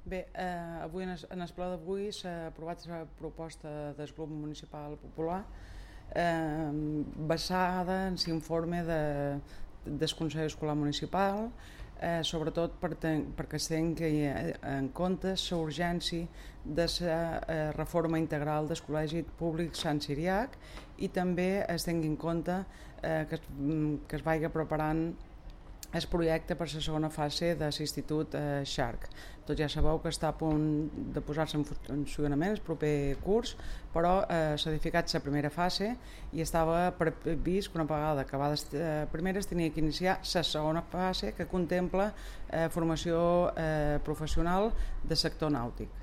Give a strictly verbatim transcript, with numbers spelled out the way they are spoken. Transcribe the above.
Bé, eh, avui en el, en el ple d'avui s'ha aprovat la proposta del grup municipal popular eh, basada en l'informe de, del Consell Escolar Municipal, eh, sobretot per ten, perquè es tingui en compte la urgència de la eh, reforma integral del Col·legi Públic Sant Ciriac i també es tingui en compte eh, que, que es vagi preparant el projecte per la segona fase de l'Institut eh, Xarc. Tots ja sabeu que està a punt de posar-se en funcionament el proper curs, però eh, s'ha edificat la primera fase i estava previst que una vegada acabada la primera es tenia que iniciar la segona fase que contempla eh, formació eh, professional del sector nàutic.